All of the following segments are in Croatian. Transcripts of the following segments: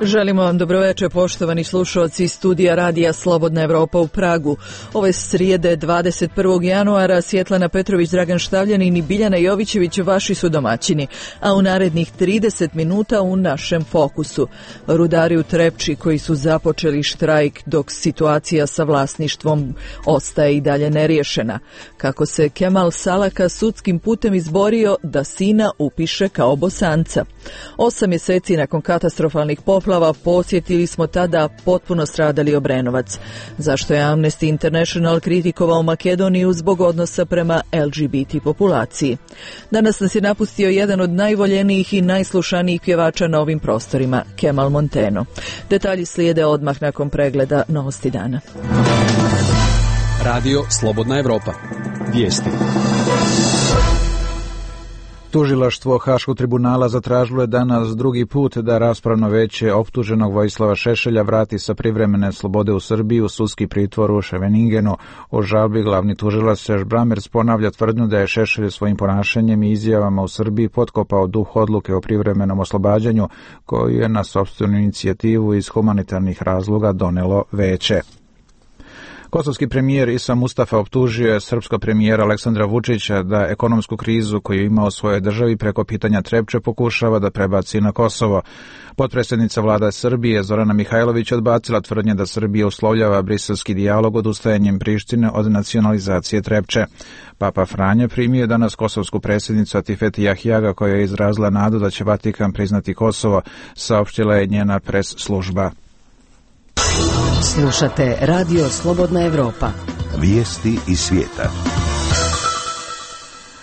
Želimo vam dobroveče, poštovani slušalci studija Radija Slobodna Evropa u Pragu. Ove srijede 21. januara Svjetlana Petrović, Dragan Štavljanin i Biljana Jovićević vaši su domaćini, a u narednih 30 minuta u našem fokusu. Rudari u Trepči koji su započeli štrajk dok situacija sa vlasništvom ostaje i dalje neriješena. Kako se Kemal Salaka sudskim putem izborio da sina upiše kao Bosanca. 8 mjeseci nakon katastrofalnih poplava posjetili smo tada potpuno stradali Obrenovac. Zašto je Amnesty International kritikovao Makedoniju zbog odnosa prema LGBT populaciji? Danas nas je napustio jedan od najvoljenijih i najslušanijih pjevača na ovim prostorima, Kemal Monteno. Detalji slijede odmah nakon pregleda novosti dana. Radio Slobodna Evropa. Vijesti. Tužilaštvo Haškog tribunala zatražilo je danas drugi put da raspravno veće optuženog Vojislava Šešelja vrati sa privremene slobode u Srbiji u sudski pritvor u Ševeningenu. U žalbi glavni tužilac Serž Brammertz ponavlja tvrdnju da je Šešelj svojim ponašanjem i izjavama u Srbiji potkopao duh odluke o privremenom oslobađanju koju je na sopstvenu inicijativu iz humanitarnih razloga donelo veće. Kosovski premijer Isa Mustafa optužio je srpskog premijera Aleksandra Vučića da ekonomsku krizu koju ima u svojoj državi preko pitanja Trepče pokušava da prebaci na Kosovo. Potpredsjednica vlada Srbije Zorana Mihajlović odbacila tvrdnje da Srbija uslovljava briselski dijalog odustajanjem Prištine od nacionalizacije Trepče. Papa Franja primio danas kosovsku predsjednicu Atifet Jahjaga koja je izrazila nadu da će Vatikan priznati Kosovo, saopštila je njena pres služba. Slušate Radio Slobodna Evropa. Vijesti iz svijeta.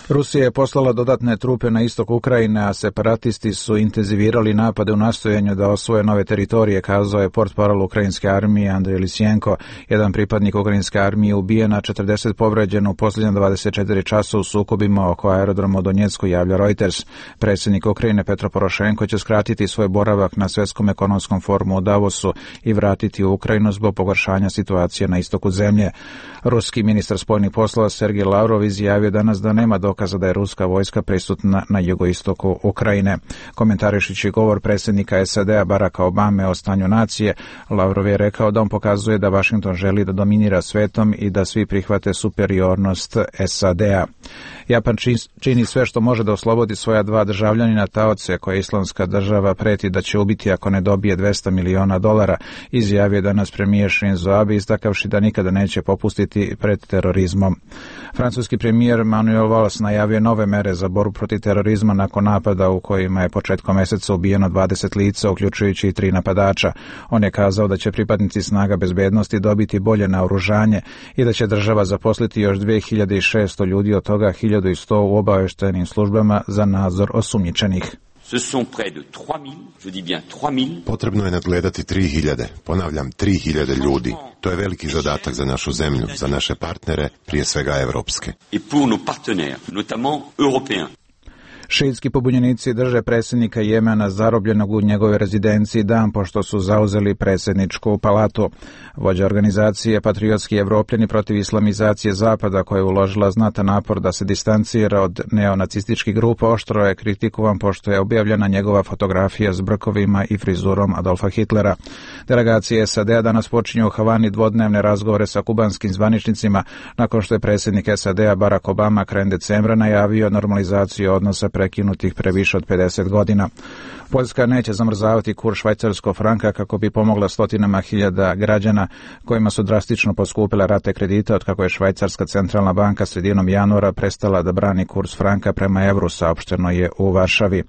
Rusija je poslala dodatne trupe na istok Ukrajine, a separatisti su intenzivirali napade u nastojanju da osvoje nove teritorije, kazao je portparol ukrajinske armije Andrej Lisjenko. Jedan pripadnik ukrajinske armije ubijen, a 40 povređeno u posljednjih 24 časa u sukobima oko aerodroma u Donjecku, javlja Reuters. Predsjednik Ukrajine Petro Porošenko će skratiti svoj boravak na Svjetskom ekonomskom forumu u Davosu i vratiti u Ukrajinu zbog pogoršanja situacije na istoku zemlje. Ruski ministar spoljnih poslova Sergej Lavrov izjavio danas da nema dokaza da je ruska vojska prisutna na jugoistoku Ukrajine. Komentarišići govor predsjednika SAD-a Baracka Obame o stanju nacije, Lavrov je rekao da on pokazuje da Washington želi da dominira svetom i da svi prihvate superiornost SAD-a. Japan čini sve što može da oslobodi svoja dva državljanina taoce koje Islamska država preti da će ubiti ako ne dobije $200 miliona, izjavio danas premijer Shinzo Abe istakavši da nikada neće popustiti pred terorizmom. Francuski premijer Manuel Valls najavio nove mere za borbu protiv terorizma nakon napada u kojima je početkom mjeseca ubijeno 20 lica, uključujući i 3 napadača. On je kazao da će pripadnici snaga bezbednosti dobiti bolje naoružanje i da će država zaposliti još 2600 ljudi, od toga 1100 u obavještajnim službama za nadzor osumnjičenih. Potrebno je nadgledati 3000, ponavljam 3000 ljudi. To je veliki zadatak za našu zemlju, za naše partnere, prije svega evropske. Šiitski pobunjenici drže predsjednika Jemena zarobljenog u njegovoj rezidenciji dan pošto su zauzeli predsjedničku palatu. Vođa organizacije Patriotski Evropljani protiv islamizacije Zapada, koja je uložila znatan napor da se distancira od neonacističkih grupa, oštro je kritikovan pošto je objavljena njegova fotografija s brkovima i frizurom Adolfa Hitlera. Delegacije SAD-a danas počinju u Havani dvodnevne razgovore sa kubanskim zvaničnicima nakon što je predsjednik SAD-a Barack Obama krajem decembra najavio normalizaciju odnosa prekinutih previše od 50 godina. Poljska neće zamrzavati kurs švajcarskog franka kako bi pomogla stotinama hiljada građana kojima su drastično poskupile rate kredita od kako je Švajcarska centralna banka sredinom januara prestala da brani kurs franka prema evru, saopšteno je u Varšavi.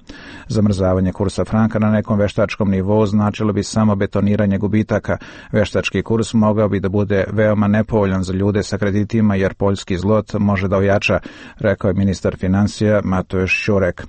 Zamrzavanje kursa franka na nekom veštačkom nivou značilo bi samo betoniranje gubitaka. Veštački kurs mogao bi da bude veoma nepovoljan za ljude sa kreditima jer poljski zlot može da ojača, rekao je ministar financija Mateusz Šurek.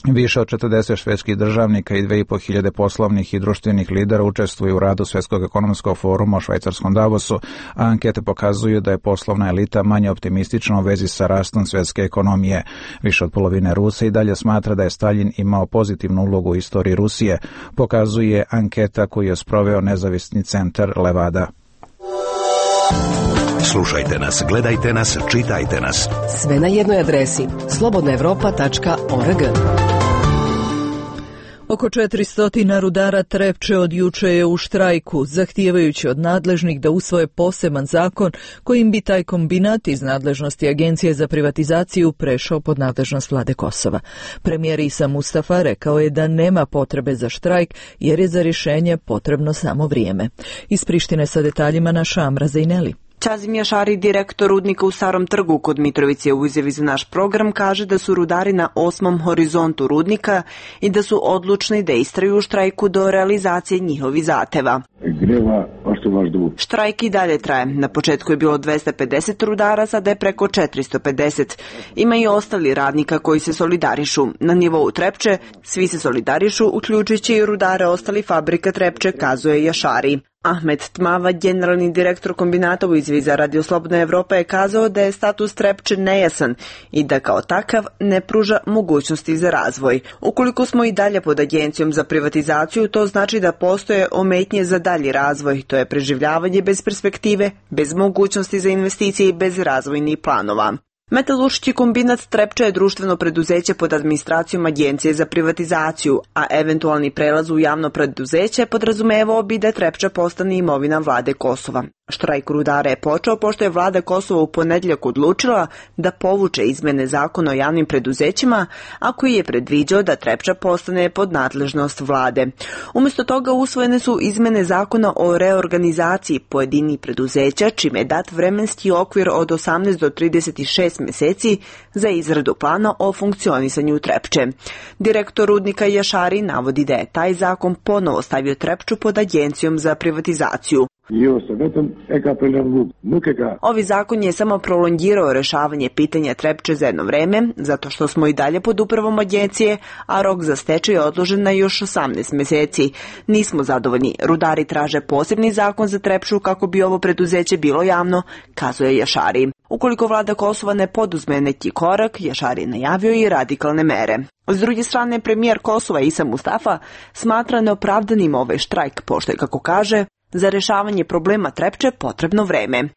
Više od 40 švedskih državnika i 2500 poslovnih i društvenih lidera učestvuju u radu Svjetskog ekonomskog foruma u švajcarskom Davosu, a ankete pokazuju da je poslovna elita manje optimistična u vezi sa rastom svjetske ekonomije. Više od polovine Rusa i dalje smatra da je Staljin imao pozitivnu ulogu u istoriji Rusije, pokazuje anketa koju je sproveo nezavisni centar Levada. Slušajte nas, gledajte nas, čitajte nas. Sve na jednoj adresi slobodnaevropa.org. Oko 400 rudara Trepče od juče je u štrajku, zahtijevajući od nadležnih da usvoje poseban zakon kojim bi taj kombinat iz nadležnosti Agencije za privatizaciju prešao pod nadležnost vlade Kosova. Premijer Isa Mustafa rekao je da nema potrebe za štrajk jer je za rješenje potrebno samo vrijeme. Iz Prištine sa detaljima naša Amra Zejneli. Čazim Jašari, direktor rudnika u Starom Trgu kod Mitrovice, u izjavi za naš program kaže da su rudari na 8. horizontu rudnika i da su odlučni da istraju u štrajku do realizacije njihovih zahteva. Štrajk i dalje traje. Na početku je bilo 250 rudara, sada je preko 450. Ima i ostali radnika koji se solidarišu. Na nivou Trepče svi se solidarišu, uključujući i rudare ostali fabrika Trepče, kazuje Jašari. Ahmed Tmava, generalni direktor kombinata u izjavi za Radio Slobodna Evropa, je kazao da je status Trepče nejasan i da kao takav ne pruža mogućnosti za razvoj. Ukoliko smo i dalje pod Agencijom za privatizaciju, to znači da postoje ometnje za dalji razvoj. To je preživljavanje bez perspektive, bez mogućnosti za investicije i bez razvojnih planova. Metalurški kombinat Trepče je društveno preduzeće pod administracijom Agencije za privatizaciju, a eventualni prelaz u javno preduzeće podrazumevao bi da Trepča postane imovina vlade Kosova. Štrajk rudara je počeo pošto je vlada Kosova u ponedjeljak odlučila da povuče izmene zakona o javnim preduzećima, a koji je predviđao da Trepča postane pod nadležnost vlade. Umjesto toga usvojene su izmene zakona o reorganizaciji pojedinih preduzeća, čime je dat vremenski okvir od 18 do 36 mjeseci za izradu plana o funkcionisanju Trepče. Direktor rudnika Jašari navodi da je taj zakon ponovo stavio Trepču pod Agencijom za privatizaciju. Ovi zakon je samo prolongirao rješavanje pitanja Trepče za jedno vreme, zato što smo i dalje pod upravom agencije, a rok za stečaj je odložen na još 18 mjeseci. Nismo zadovoljni. Rudari traže posebni zakon za Trepču kako bi ovo preduzeće bilo javno, kazuje Jašari. Ukoliko vlada Kosova ne poduzme neki korak, Jašari je najavio i radikalne mere. S druge strane, premijer Kosova Isa Mustafa smatra neopravdanim ovaj štrajk, pošto je, kako kaže, za rješavanje problema Trepče potrebno vreme.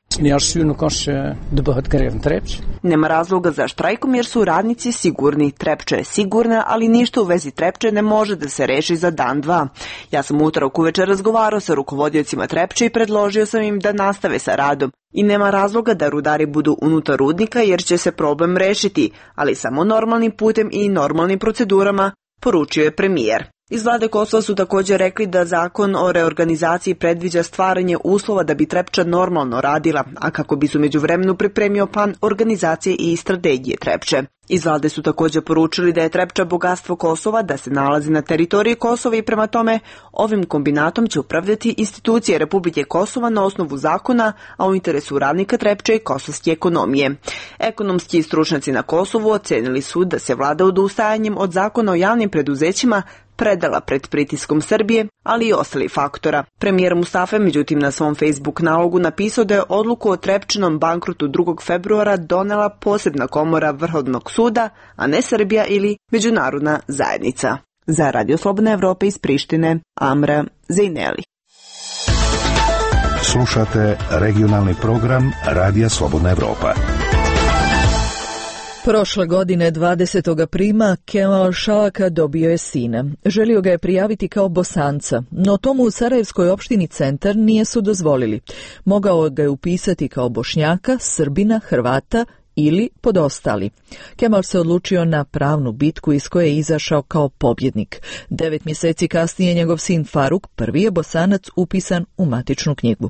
Nema razloga za štrajkom jer su radnici sigurni. Trepča je sigurna, ali ništa u vezi Trepče ne može da se reši za dan, dva. Ja sam utorak uvečer razgovarao sa rukovodiocima Trepče i predložio sam im da nastave sa radom. I nema razloga da rudari budu unutar rudnika jer će se problem rešiti, ali samo normalnim putem i normalnim procedurama, poručio je premijer. Iz vlade Kosova su također rekli da zakon o reorganizaciji predviđa stvaranje uslova da bi Trepča normalno radila, a kako bi su međuvremenu pripremio plan organizacije i strategije Trepče. Iz vlade su također poručili da je Trepča bogatstvo Kosova, da se nalazi na teritoriji Kosova i prema tome ovim kombinatom će upravljati institucije Republike Kosova na osnovu zakona, a u interesu radnika Trepče i kosovske ekonomije. Ekonomski stručnjaci na Kosovu ocenili su da se vlada odustajanjem od zakona o javnim preduzećima predala pred pritiskom Srbije, ali i ostalih faktora. Premijer Mustafa međutim na svom Facebook nalogu napisao da je odluku o Trepčinom bankrotu 2. februara donela posebna komora Vrhovnog suda, a ne Srbija ili međunarodna zajednica. Za Radio Slobodna Evropa iz Prištine, Amra Zejneli. Slušate regionalni program Radija Slobodna Evropa. Prošle godine 20. aprila Kemal Šalaka dobio je sina. Želio ga je prijaviti kao Bosanca, no tomu u Sarajevskoj opštini Centar nije su dozvolili. Mogao ga je upisati kao Bošnjaka, Srbina, Hrvata ili podostali. Kemal se odlučio na pravnu bitku iz koje je izašao kao pobjednik. 9 mjeseci kasnije njegov sin Faruk, prvi je Bosanac upisan u matičnu knjigu.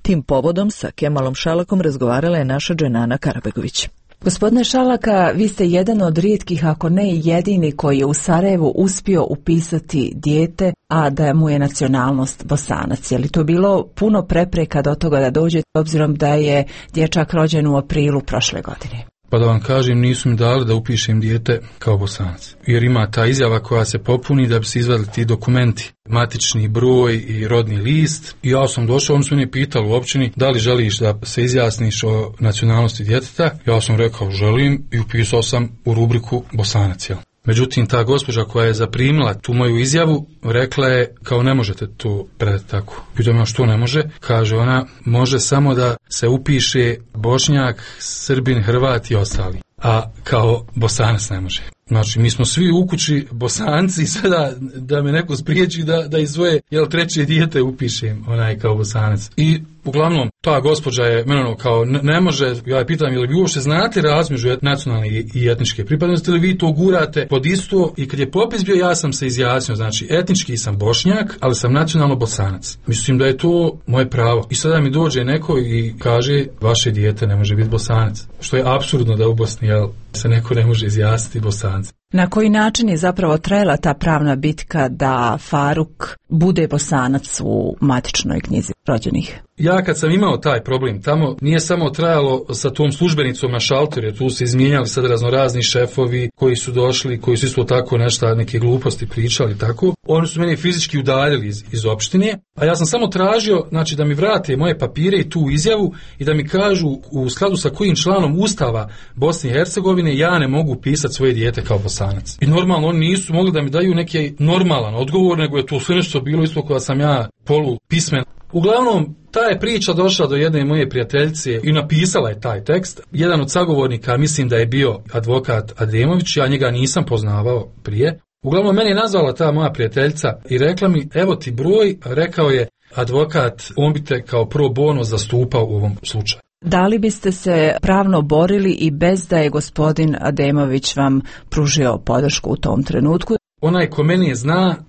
Tim povodom sa Kemalom Šalakom razgovarala je naša Dženana Karabegović. Gospodine Šalaka, vi ste jedan od rijetkih, ako ne i jedini, koji je u Sarajevu uspio upisati dijete, a da mu je nacionalnost Bosanac. Je li to bilo puno prepreka do toga da dođe, obzirom da je dječak rođen u aprilu prošle godine? Pa da vam kažem, nisu mi dali da upišem dijete kao Bosanac. Jer ima ta izjava koja se popuni da bi se izvadili ti dokumenti, matični broj i rodni list. I ja sam došao, on su mene pitali u općini da li želiš da se izjasniš o nacionalnosti djeteta. Ja sam rekao želim i upisao sam u rubriku Bosanac. Međutim, ta gospođa koja je zaprimila tu moju izjavu rekla je kao ne možete to predati tako. Pitam ja što ne može? Kaže ona može samo da se upiše Bošnjak, Srbin, Hrvat i ostali. A kao Bosanac ne može. Znači, mi smo svi u kući Bosanci, sada da me neko spriječi da iz svoje treće dijete upišem kao Bosanac. I uglavnom, ta gospođa je meni kao ne može, ja je pitam, jel vi uopšte znate razmeđu nacionalne i etničke pripadnosti, ili vi to gurate pod isto, i kad je popis bio, ja sam se izjasnio, znači etnički sam Bošnjak, ali sam nacionalno Bosanac. Mislim da je to moje pravo. I sada mi dođe neko i kaže, vaše dijete ne može biti Bosanac. Što je apsurdno da u Bosni se neko ne može izjasniti Bosanac. Na koji način je zapravo trajala ta pravna bitka da Faruk bude Bosanac u matičnoj knjizi rođenih? Ja kad sam imao taj problem tamo, nije samo trajalo sa tom službenicom na šalteru, jer tu se izmijenjali sad raznorazni šefovi koji su došli, koji su isto tako neke gluposti pričali tako. Oni su meni fizički udaljili iz opštine, a ja sam samo tražio, znači, da mi vrate moje papire i tu izjavu i da mi kažu u skladu sa kojim članom Ustava Bosne i Hercegovine ja ne mogu pisati svoje dijete kao Bosanac. I normalno oni nisu mogli da mi daju neki normalan odgovor, nego je to sve nešto bilo isto koja sam ja polupismen. Uglavnom, ta je priča došla do jedne moje prijateljice i napisala je taj tekst. Jedan od sagovornika, mislim da je bio advokat Ademović, ja njega nisam poznavao prije. Uglavnom, meni je nazvala ta moja prijateljica i rekla mi, evo ti broj, rekao je advokat, on bi te kao pro bono zastupao u ovom slučaju. Da li biste se pravno borili i bez da je gospodin Ademović vam pružio podršku u tom trenutku? Onaj ko meni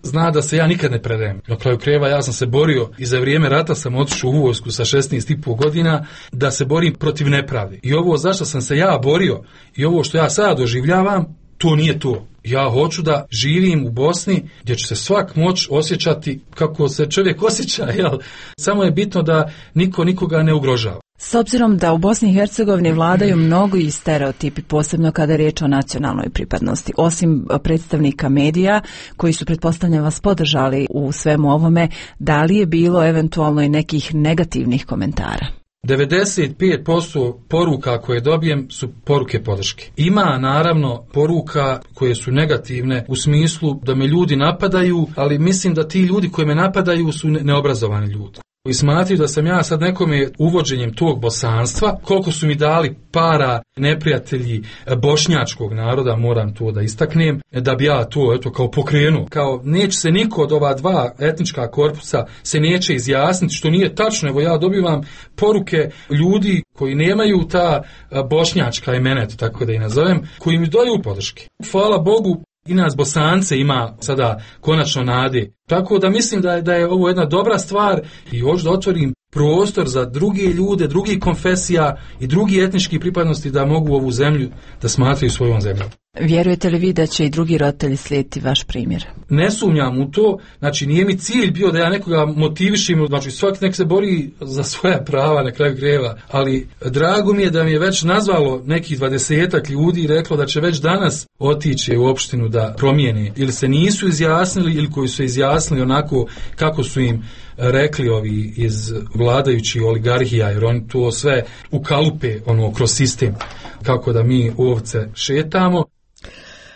zna da se ja nikad ne predajem. Na kraju krajeva ja sam se borio i za vrijeme rata sam otišao u vojsku sa 16,5 godina da se borim protiv nepravde. I ovo zašto sam se ja borio i ovo što ja sada doživljavam, to nije to. Ja hoću da živim u Bosni gdje će se svak moći osjećati kako se čovjek osjeća, jel? Samo je bitno da niko nikoga ne ugrožava. S obzirom da u Bosni i Hercegovini vladaju mnogi stereotipi, posebno kada je riječ o nacionalnoj pripadnosti, osim predstavnika medija koji su, pretpostavljam, vas podržali u svemu ovome, da li je bilo eventualno i nekih negativnih komentara? 95% poruka koje dobijem su poruke podrške. Ima naravno poruka koje su negativne u smislu da me ljudi napadaju, ali mislim da ti ljudi koji me napadaju su neobrazovani ljudi. I smatruju da sam ja sad nekome uvođenjem tog bosanstva, koliko su mi dali para neprijatelji bošnjačkog naroda, moram to da istaknem, da bi ja to kao pokrenuo. Kao neće se niko od ova dva etnička korpusa se neće izjasniti, što nije tačno. Evo ja dobivam poruke ljudi koji nemaju ta bošnjačka imena, tako da i nazovem, koji mi daju podrške. Hvala Bogu, i nas Bosance ima sada konačno nade. Tako da mislim da je ovo jedna dobra stvar i hoću da otvorim prostor za druge ljude, drugih konfesija i drugi etnički pripadnosti da mogu ovu zemlju da smatraju svojom zemljom. Vjerujete li vi da će i drugi roditelji slijediti vaš primjer? Ne sumnjam u to, znači nije mi cilj bio da ja nekoga motivišim, znači svaki nek se bori za svoja prava na kraju krajeva, ali drago mi je da mi je već nazvalo nekih 20 ljudi i reklo da će već danas otići u opštinu da promijene, ili se nisu izjasnili ili koji su izjasnili onako kako su im rekli ovi iz vladajućih oligarhija, jer oni to sve ukalupe kroz sistem, kako da mi ovce šetamo.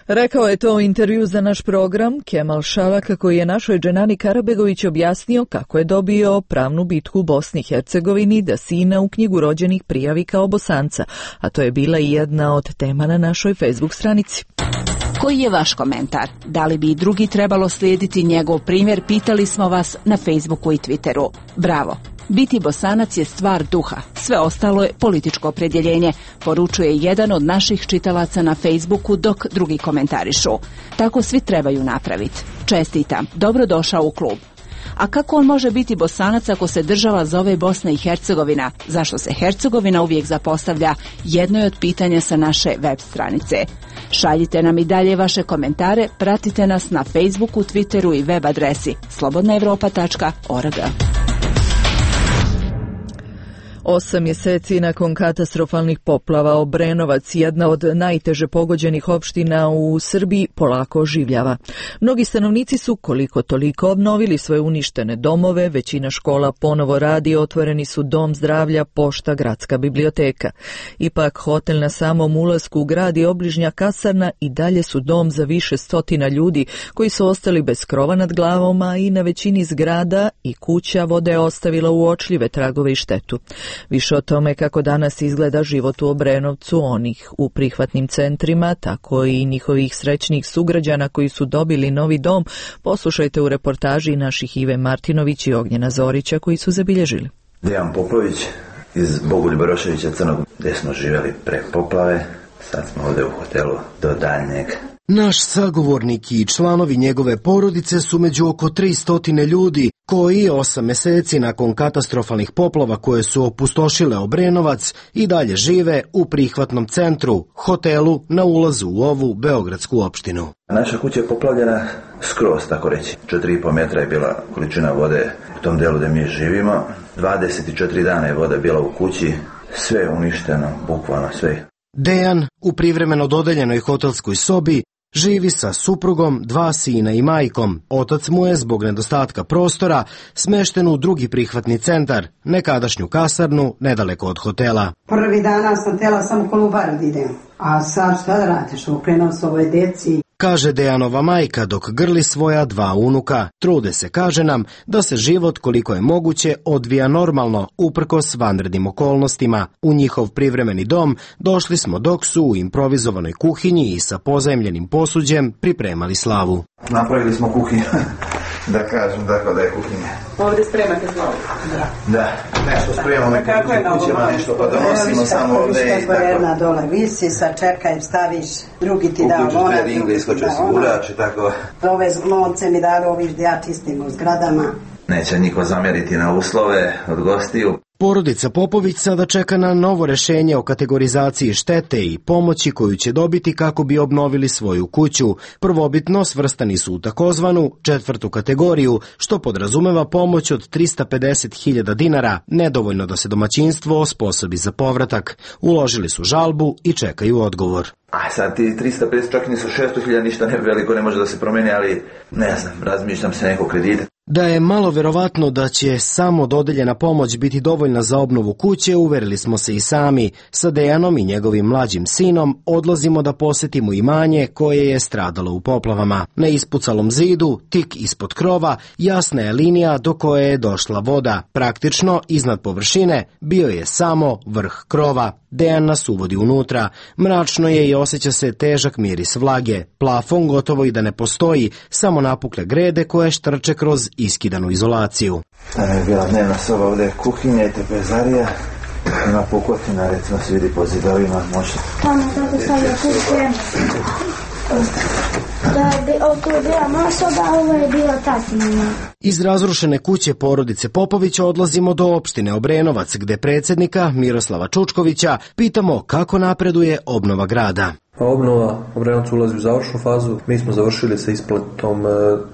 Rekao je to u intervju za naš program Kemal Šavaka, koji je našoj Dženani Karabegović objasnio kako je dobio pravnu bitku u Bosni i Hercegovini da sina u knjigu rođenih prijavi kao Bosanca, a to je bila i jedna od tema na našoj Facebook stranici. Koji je vaš komentar? Da li bi i drugi trebalo slijediti njegov primjer? Pitali smo vas na Facebooku i Twitteru. Bravo! Biti Bosanac je stvar duha, sve ostalo je političko opredjeljenje, poručuje jedan od naših čitalaca na Facebooku, dok drugi komentarišu. Tako svi trebaju napraviti. Čestitam, dobrodošao u klub. A kako on može biti Bosanac ako se država zove Bosna i Hercegovina? Zašto se Hercegovina uvijek zapostavlja? Jedno je od pitanja sa naše web stranice. Šaljite nam i dalje vaše komentare, pratite nas na Facebooku, Twitteru i web adresi slobodnaevropa.org. 8 mjeseci nakon katastrofalnih poplava Obrenovac, jedna od najteže pogođenih opština u Srbiji, polako oživljava. Mnogi stanovnici su koliko toliko obnovili svoje uništene domove, većina škola ponovo radi, otvoreni su dom zdravlja, pošta, gradska biblioteka. Ipak hotel na samom ulasku u grad i obližnja kasarna i dalje su dom za više stotina ljudi koji su ostali bez krova nad glavom, a i na većini zgrada i kuća voda je ostavila uočljive tragove i štetu. Više o tome kako danas izgleda život u Obrenovcu, onih u prihvatnim centrima, tako i njihovih srećnih sugrađana koji su dobili novi dom, poslušajte u reportaži naših Ive Martinović i Ognjena Zorića koji su zabilježili. Dejan Popović iz Bogoljuba Roševića Crnog, gdje smo živjeli pre poplave, sad smo ovdje u hotelu do daljnjeg. Naš sagovornik i članovi njegove porodice su među oko 300 ljudi koji 8 mjeseci nakon katastrofalnih poplava koje su opustošile Obrenovac i dalje žive u prihvatnom centru, hotelu na ulazu u ovu beogradsku opštinu. Naša kuća je poplavljena skroz, tako reći. 4,5 metra je bila količina vode u tom delu gdje mi živimo. 24 dana je voda bila u kući, sve je uništeno, bukvalno sve. Dejan u privremeno dodeljenoj hotelskoj sobi živi sa suprugom, 2 sina i majkom. Otac mu je zbog nedostatka prostora smešten u drugi prihvatni centar, nekadašnju kasarnu nedaleko od hotela. Prvi dana sam htjela samo Kolubar da idem, a sad šta da radiš, okrenuo se ovoj deci. Kaže Dejanova majka dok grli svoja 2 unuka. Trude se, kaže nam, da se život koliko je moguće odvija normalno, uprkos vanrednim okolnostima. U njihov privremeni dom došli smo dok su u improvizovanoj kuhinji i sa pozajmljenim posuđem pripremali slavu. Napravili smo kuhinju, da kažem tako da je kuhinja. Ovdje spremate slavu? Da, nešto spremamo u kućima, nešto pa donosimo samo ovdje. Jedna dole visi, sad čekaj, staviš, drugi ti da ona, drugi iskoče sigurač i tako. Ove lonce mi dali oviš da ja čistim u zgradama. Neće niko zamjeriti na uslove od gostiju. Porodica Popović sada čeka na novo rešenje o kategorizaciji štete i pomoći koju će dobiti kako bi obnovili svoju kuću. Prvobitno svrstani su u takozvanu 4. kategoriju, što podrazumeva pomoć od 350.000 dinara, nedovoljno da se domaćinstvo osposobi za povratak. Uložili su žalbu i čekaju odgovor. A sad ti 350, čak nisu 600.000, ništa ne veliko, ne može da se promeni, ali ne znam, razmišljam se neko kredita. Da je malo verovatno da će samo dodeljena pomoć biti dovoljna za obnovu kuće, uverili smo se i sami. Sa Dejanom i njegovim mlađim sinom odlazimo da posetimo imanje koje je stradalo u poplavama. Na ispucalom zidu, tik ispod krova, jasna je linija do koje je došla voda. Praktično, iznad površine, bio je samo vrh krova. Dejan nas uvodi unutra. Mračno je i osjeća se težak miris vlage. Plafon gotovo i da ne postoji, samo napukle grede koje štrče kroz iskidanu izolaciju. Tamo je bila dnevna soba, ovdje je kuhinja i trpezarija. Ima pukotina, recimo se vidi po zidovima, može. Tamo tako stavlja kuće. Oko je bila moja soba, a ovo je bila tatina. Iz razrušene kuće porodice Popović odlazimo do opštine Obrenovac, gde predsjednika Miroslava Čučkovića pitamo kako napreduje obnova grada. Obnova Obrenovca ulazi u završnu fazu. Mi smo završili sa isplatom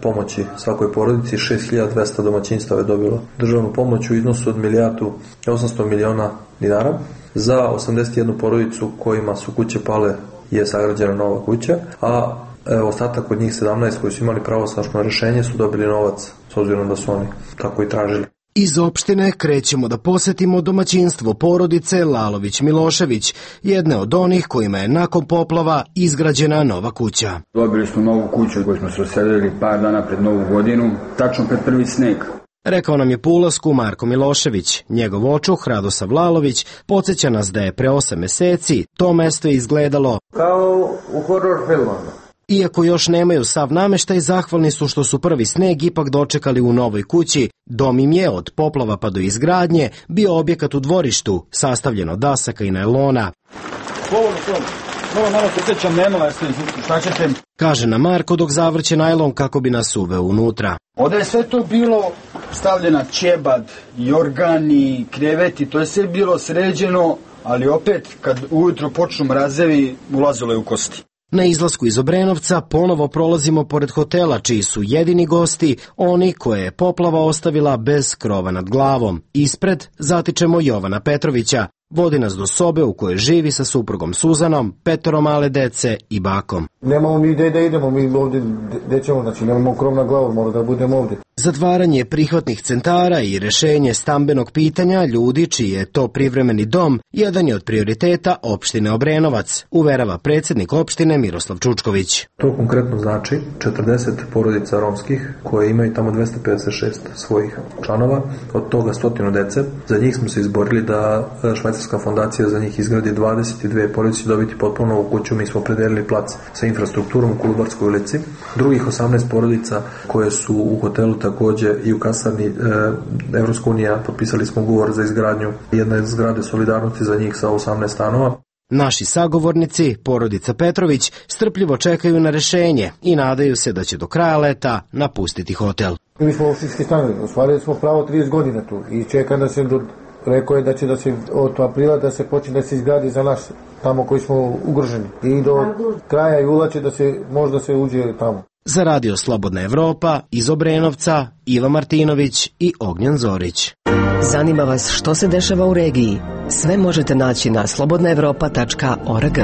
pomoći svakoj porodici. 6.200 domaćinstava je dobilo državnu pomoć u iznosu od 1.800.000.000 dinara. Za 81 porodicu kojima su kuće pale je sagrađena nova kuća, a ostatak od njih 17 koji su imali pravosnažno rješenje su dobili novac, s obzirom da su oni tako i tražili. Iz opštine krećemo da posetimo domaćinstvo porodice Lalović-Milošević, jedne od onih kojima je nakon poplava izgrađena nova kuća. Dobili smo novu kuću koju smo se raselili par dana pred Novu godinu, tačno pred prvi sneg. Rekao nam je po ulasku Marko Milošević. Njegov očuh Radosav Lalović podsjeća nas da je pre 8 mjeseci to mesto izgledalo kao u horror filmama. Iako još nemaju sav nameštaj, zahvalni su što su prvi sneg ipak dočekali u novoj kući. Dom im je od poplava pa do izgradnje bio objekat u dvorištu, sastavljen od dasaka i najlona. Kaže nam Marko dok zavrće najlon kako bi nas uveo unutra. Ovdje je sve to bilo stavljena ćebad, jorgani, kreveti, to je sve bilo sređeno, ali opet kad ujutro počnu mrazevi ulazilo je u kosti. Na izlasku iz Obrenovca ponovo prolazimo pored hotela čiji su jedini gosti oni koje je poplava ostavila bez krova nad glavom. Ispred zatičemo Jovana Petrovića, vodi nas do sobe u kojoj živi sa suprugom Suzanom, 5 male dece i bakom. Nemamo mi gde da idemo, mi ovdje gde ćemo, znači nemamo krov na glavu, mora da budemo ovdje. Zatvaranje prihvatnih centara i rešenje stambenog pitanja ljudi čiji je to privremeni dom jedan je od prioriteta opštine Obrenovac, uverava predsjednik opštine Miroslav Čučković. To konkretno znači 40 porodica romskih koje imaju tamo 256 svojih članova, od toga 100 dece. Za njih smo se izborili da švajcarska fondacija za njih izgradi 22 porodice dobiti potpuno novu kuću. Mi smo predelili plac sa infrastrukturom u Kolubarskoj ulici. Drugih 18 porodica koje su u hotelu također i u kasarni Evropska unija potpisali smo ugovor za izgradnju jedne zgrade solidarnosti za njih sa 18 stanova. Naši sagovornici, porodica Petrović, strpljivo čekaju na rešenje i nadaju se da će do kraja leta napustiti hotel. Mi smo opštinski stanovi, ostvarili smo pravo 30 godina tu i čeka da se, rekao je da će da se od aprila da se počne da se izgradi za nas tamo koji smo ugroženi i do kraja jula će da se možda se uđe tamo. Za Radio Slobodna Evropa iz Obrenovca, Iva Martinović i Ognjen Zorić. Zanima vas što se dešava u regiji? Sve možete naći na slobodnaevropa.org.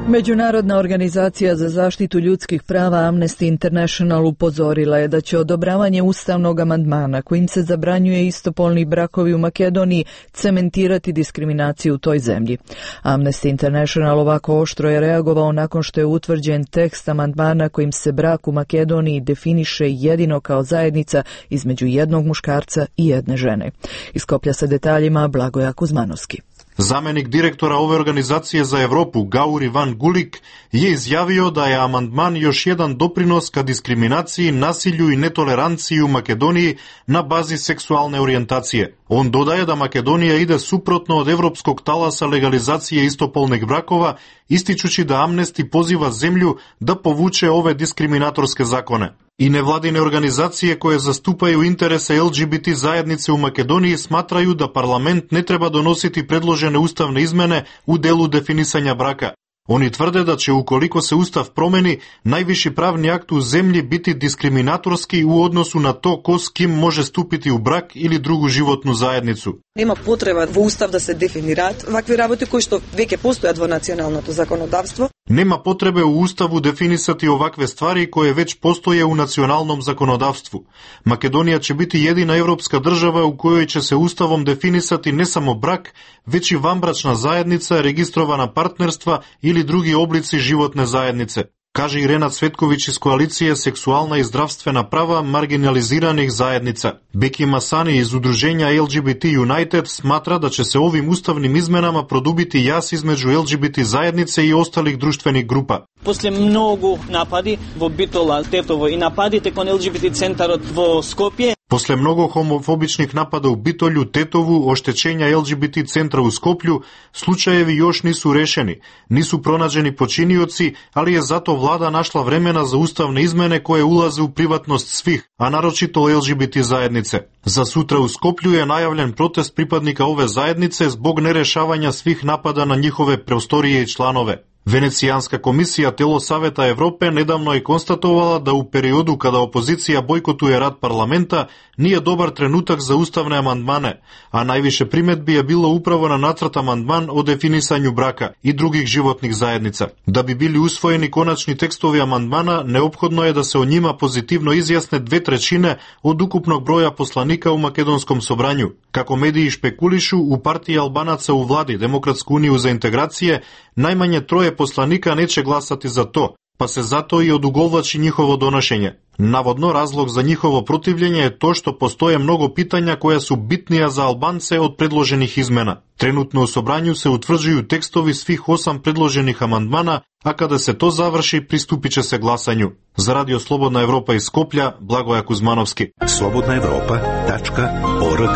Međunarodna organizacija za zaštitu ljudskih prava Amnesty International upozorila je da će odobravanje ustavnog amandmana kojim se zabranjuje istopolni brakovi u Makedoniji cementirati diskriminaciju u toj zemlji. Amnesty International ovako oštro je reagovao nakon što je utvrđen tekst amandmana kojim se brak u Makedoniji definiše jedino kao zajednica između jednog muškarca i jedne žene. Iz Skoplja sa detaljima Blagoja Kuzmanovski. Zamenik direktora ove organizacije za Evropu, Gauri Van Gulik, je izjavio da je amandman još jedan doprinos ka diskriminaciji, nasilju i netoleranciji u Makedoniji na bazi seksualne orijentacije. On dodaje da Makedonija ide suprotno od evropskog talasa legalizacije istopolnih brakova, ističući da Amnesty poziva zemlju da povuče ove diskriminatorske zakone. I nevladine organizacije koje zastupaju interese LGBT zajednice u Makedoniji smatraju da parlament ne treba donositi predložene ustavne izmene u delu definisanja braka. Oni tvrde da će ukoliko se ustav promeni, najviši pravni akt u zemlji biti diskriminatorski u odnosu na to ko s kim može stupiti u brak ili drugu životnu zajednicu. Nema potreba v ustav da se definirat ovakve работи кои што веќе постојат во националното законодавство. Nema potrebe u ustavu definisati ovakve stvari koje već postoje u nacionalnom zakonodavstvu. Makedonija će biti jedina evropska država u kojoj će se ustavom definisati ne samo brak, već i vanbračna zajednica, registrovana partnerstva ili drugi oblici životne zajednice, kaže i Renat Cvetković iz koalicije Seksualna i zdravstvena prava marginaliziranih zajednica. Beki Masani iz udruženja LGBT United smatra da će se ovim ustavnim izmenama produbiti jaz između LGBT zajednice i ostalih društvenih grupa. После многу напади во Битола, Тетово и нападите кон LGBT центарот во Скопје. Posle mnogo homofobičnih napada u Bitolju, Tetovu, oštećenja LGBT centra u Skoplju, slučajevi još nisu rešeni, nisu pronađeni počinioci, ali je zato vlada našla vremena za ustavne izmene koje ulaze u privatnost svih, a naročito LGBT zajednice. Za sutra u Skoplju je najavljen protest pripadnika ove zajednice zbog nerešavanja svih napada na njihove prostorije i članove. Venecijanska komisija telo Saveta Evrope nedavno je konstatovala da u periodu kada opozicija bojkotuje rad parlamenta nije dobar trenutak za ustavne amandmane, a najviše primedbi je bilo upravo na nacrt amandman o definisanju braka i drugih životnih zajednica. Da bi bili usvojeni konačni tekstovi amandmana, neophodno je da se o njima pozitivno izjasne 2/3 od ukupnog broja poslanika u makedonskom sobranju. Kako mediji špekulišu, u partiji Albanaca u vladi Demokratsku uniju za integracije najmanje 3 poslanika neće glasati za to, pa se zato i odugovlači njihovo donošenje. Navodno, razlog za njihovo protivljenje je to što postoje mnogo pitanja koja su bitnija za Albance od predloženih izmena. Trenutno u sobranju se utvrđuju tekstovi svih 8 predloženih amandmana, a kada se to završi, pristupit će se glasanju. Za Radio Slobodna Evropa iz Skoplja, Blagoja Kuzmanovski. slobodnaevropa.org.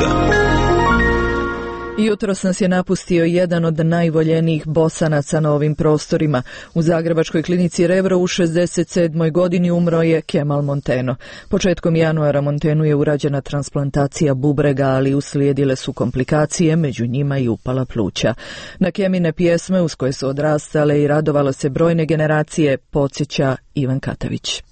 Jutros nas je napustio jedan od najvoljenijih Bosanaca na ovim prostorima. U Zagrebačkoj klinici Rebro u 67. godini umro je Kemal Monteno. Početkom januara Montenu je urađena transplantacija bubrega, ali uslijedile su komplikacije, među njima i upala pluća. Na Kemine pjesme uz koje su odrastale i radovale se brojne generacije podsjeća Ivan Katavić.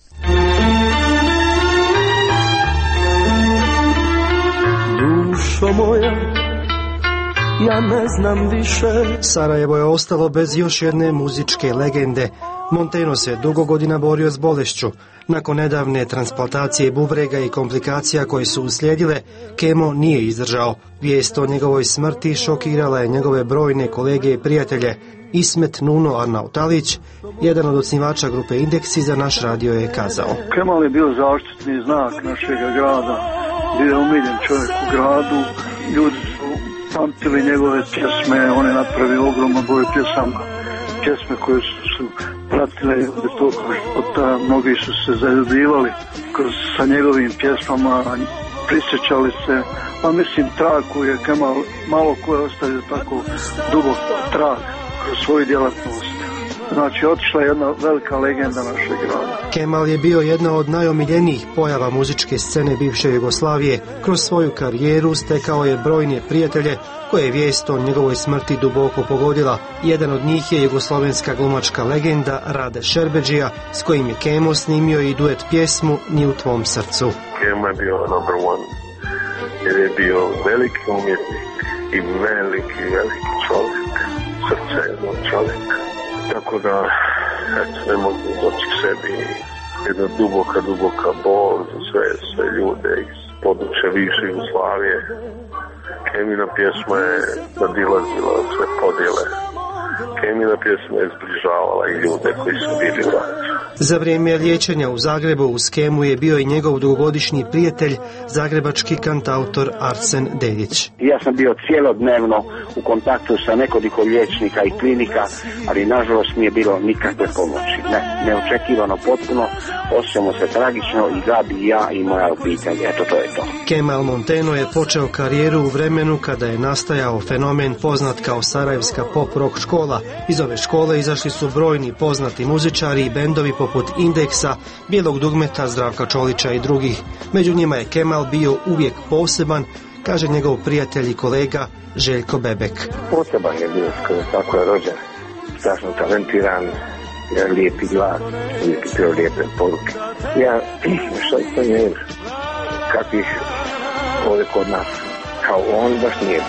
Dušo moja, ja ne znam više. Sarajevo je ostalo bez još jedne muzičke legende. Monteno se dugo godina borio s bolešću. Nakon nedavne transplantacije bubrega i komplikacija koje su uslijedile, Kemo nije izdržao. Vijest o njegovoj smrti šokirala je njegove brojne kolege i prijatelje. Ismet Nuno Arnautalić, jedan od osnivača grupe Indeksi, za naš radio je kazao: Kemal je bio zaštitni znak našeg grada, bio je omiljen čovjek u gradu, ljudi su pamtili njegove pjesme, on je napravio ogroman broj pjesme koje su pratile do toga života, mnogi su se zaljubljivali sa njegovim pjesmama, prisjećali se, a mislim trag koji je Kemal malo ko je ostavio tako dubok trag kroz svoju djelatnost. Znači, otišla je jedna velika legenda našeg grada. Kemal je bio jedna od najomiljenijih pojava muzičke scene bivše Jugoslavije. Kroz svoju karijeru stekao je brojne prijatelje koje je vijest o njegovoj smrti duboko pogodila. Jedan od njih je jugoslovenska glumačka legenda Rade Šerbedžija, s kojim je Kemo snimio i duet pjesmu Ni u tvom srcu. Kemo je bio number one, jer je bio veliki umjetnik i veliki čovjek, srce jednog čovjeka. Tako da, eto, ne mogu doći k sebi, jedna duboka bol za sve ljude iz područja bivše Jugoslavije. Kemina pjesma je nadilazila sve podjele. Kemina pjesma je zbližavala i ljude koji su bili u ratu. Za vrijeme liječenja u Zagrebu uz Kemu je bio i njegov dugogodišnji prijatelj, zagrebački kantautor Arsen Deljić. Ja sam bio cijelodnevno u kontaktu sa nekoliko liječnika i klinika, ali nažalost nije bilo nikakve pomoći. Neočekivano potpuno, osjećamo se tragično i Gabi i ja i moja obitelj. Eto, to je to. Kemal Monteno je počeo karijeru u vremenu kada je nastajao fenomen poznat kao Sarajevska pop rock škola. Iz ove škole izašli su brojni poznati muzičari i bendovi poput Indeksa, Bijelog dugmeta, Zdravka Čolića i drugih. Među njima je Kemal bio uvijek poseban, kaže njegov prijatelj i kolega Željko Bebek. Poseban je bio, tako je rođen, strašno talentiran, lijepi glas, uvijek je bio lijepe poruke. Ja, što je, kakvih ovdje kod nas, kao on baš nije.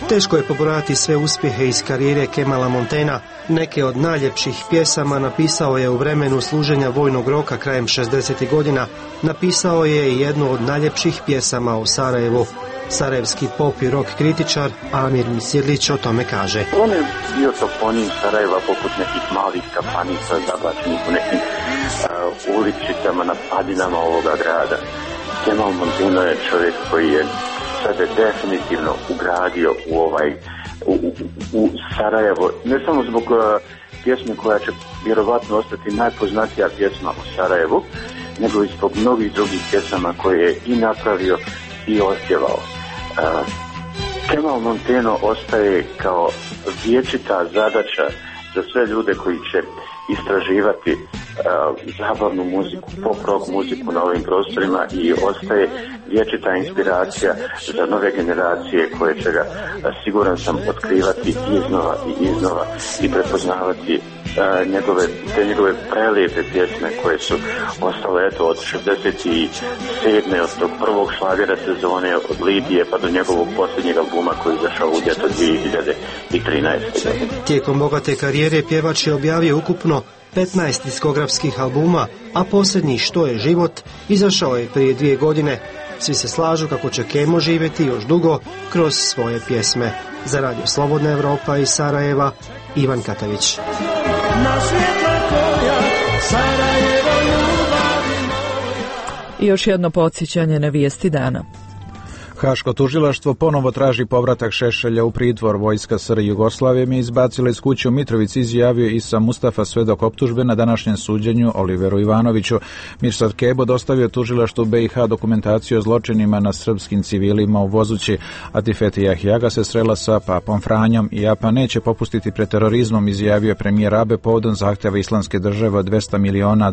Teško je pobrojati sve uspjehe iz karijere Kemala Montena. Neke od najljepših pjesama napisao je u vremenu služenja vojnog roka krajem 60. godina. Napisao je i jednu od najljepših pjesama o Sarajevu. Sarajevski pop i rock kritičar Amir Misirlić o tome kaže: On je bio toponim Sarajeva poput nekih malih kapanica zabačenih u nekim uličicama na padinama ovoga grada. Kemal Monteno je čovjek koji je sebe definitivno ugradio u Sarajevo, ne samo zbog pjesme koja će vjerovatno ostati najpoznatija pjesma u Sarajevu, nego i zbog mnogih drugih pjesama koje je i napravio i ospjevao. Kemal Monteno ostaje kao vječita zadaća za sve ljude koji će istraživati zabavnu muziku, pop rock muziku na ovim prostorima i ostaje vječita inspiracija za nove generacije koje će ga, siguran sam, otkrivati iznova i prepoznavati njegove prelijepe pjesme koje su ostale od 67. od tog prvog šlagera sezone od Lidije pa do njegovog posljednjeg albuma koji je izašao u ljeto 2013. Tijekom bogate karijere pjevač je objavio ukupno 15 diskografskih albuma, a posljednji Što je život izašao je prije 2 godine. Svi se slažu kako će Kemo živjeti još dugo kroz svoje pjesme. Za Radio Slobodna Evropa iz Sarajeva, Ivan Katavić. I još jedno podsjećanje na vijesti dana. Haško tužilaštvo ponovo traži povratak Šešelja u pritvor. Vojska SR Jugoslavije mi izbacila iz kuće u Mitrovici, izjavio Isa Mustafa, svedok optužbe na današnjem suđenju Oliveru Ivanoviću. Mirsad Kebo dostavio tužilaštvu BiH dokumentaciju o zločinima na srpskim civilima u Vozući. Atifete Jahjaga se srela sa papom Franjom i Japan neće popustiti pred terorizmom, izjavio premijer Abe povodom zahtjeva Islamske države od $200 miliona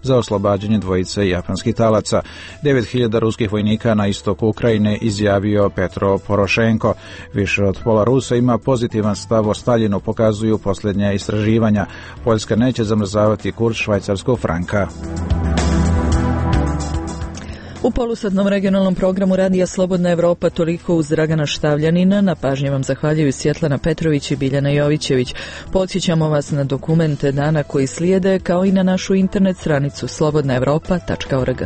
za oslobađanje dvojice japanskih talaca. 9.000 ruskih vojnika na istoku Ukrajine, izjavio Petro Porošenko. Više od pola Rusa ima pozitivan stav o Staljinu, pokazuju posljednja istraživanja. Poljska neće zamrzavati kurs švajcarskog franka. U polusatnom regionalnom programu Radija Slobodna Evropa toliko uz Dragana Štavljanina. Na pažnji vam zahvaljuju Svjetlana Petrović i Biljana Jovićević. Podsjećamo vas na dokumente dana koji slijede, kao i na našu internet stranicu slobodnaevropa.org.